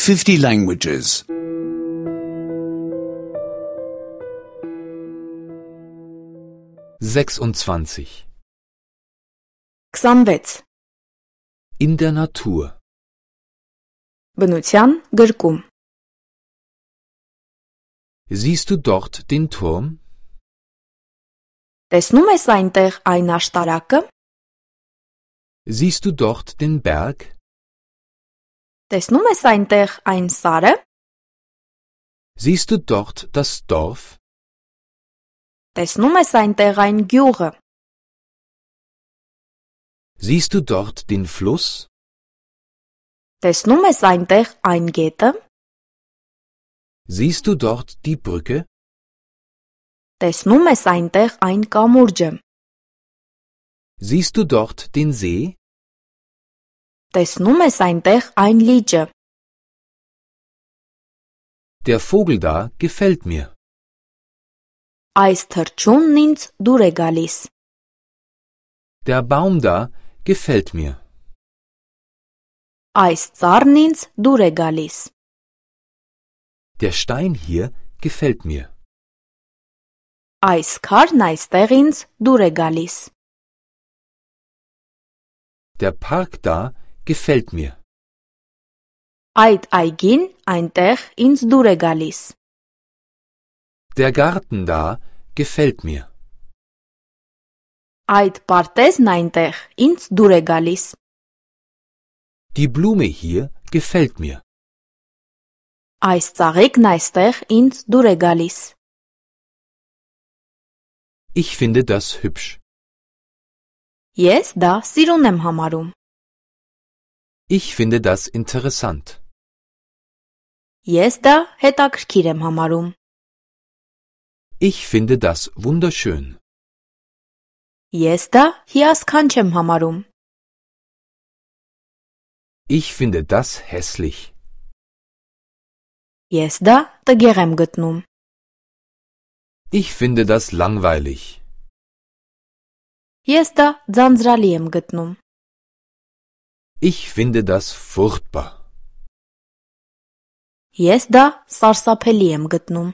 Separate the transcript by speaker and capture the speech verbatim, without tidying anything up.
Speaker 1: fifty languages.
Speaker 2: sechsundzwanzig.
Speaker 3: քսանվեց.
Speaker 2: In der Natur.
Speaker 3: Բնության գրկում.
Speaker 2: Siehst du dort den Turm?
Speaker 3: Տեսնում ես այնտեղ այն աշտարակը?
Speaker 2: Siehst du dort den Berg?
Speaker 3: Տեսնում ես այնտեղ այն սարը?
Speaker 2: Siehst du dort das Dorf?
Speaker 3: Տեսնում ես այնտեղ այն գյուղը?
Speaker 2: Siehst du dort den Fluss?
Speaker 3: Տեսնում ես այնտեղ այն գետը?
Speaker 2: Siehst du dort die Brücke?
Speaker 3: Տեսնում ես այնտեղ այն կամուրջը?
Speaker 2: Siehst du dort den See?
Speaker 3: Տեսնում ես այնտեղ այն լիճը?
Speaker 2: Der Vogel da gefällt mir.
Speaker 3: Այս թռչունն ինձ դուր է գալիս.
Speaker 2: Der Baum da gefällt mir.
Speaker 3: Այս ծառն ինձ դուր է գալիս.
Speaker 2: Der Stein hier gefällt mir.
Speaker 3: Այս քարն այստեղ ինձ դուր է գալիս.
Speaker 2: Der Park da gefällt mir.
Speaker 3: Այդ այգին այնտեղ ինձ դուր է գալիս.
Speaker 2: Der Garten da gefällt mir.
Speaker 3: Այդ պարտեզն այնտեղ ինձ դուր է գալիս.
Speaker 2: Die Blume hier gefällt mir.
Speaker 3: Այս ծաղիկն այստեղ ինձ դուր է գալիս.
Speaker 2: Ich finde das hübsch.
Speaker 3: Ես դա սիրուն եմ համարում.
Speaker 2: Ich finde das interessant.
Speaker 3: Ես դա հետաքրքիր եմ համարում.
Speaker 2: Ich finde das wunderschön.
Speaker 3: Ես դա հիասքանչ եմ համարում.
Speaker 2: Ich finde das hässlich.
Speaker 3: Ես դա տգեղ եմ գտնում.
Speaker 2: Ich finde das langweilig.
Speaker 3: Ես դա ձանձրալի եմ գտնում.
Speaker 2: Ich finde das furchtbar.
Speaker 3: Ես դա սարսափելի եմ գտնում.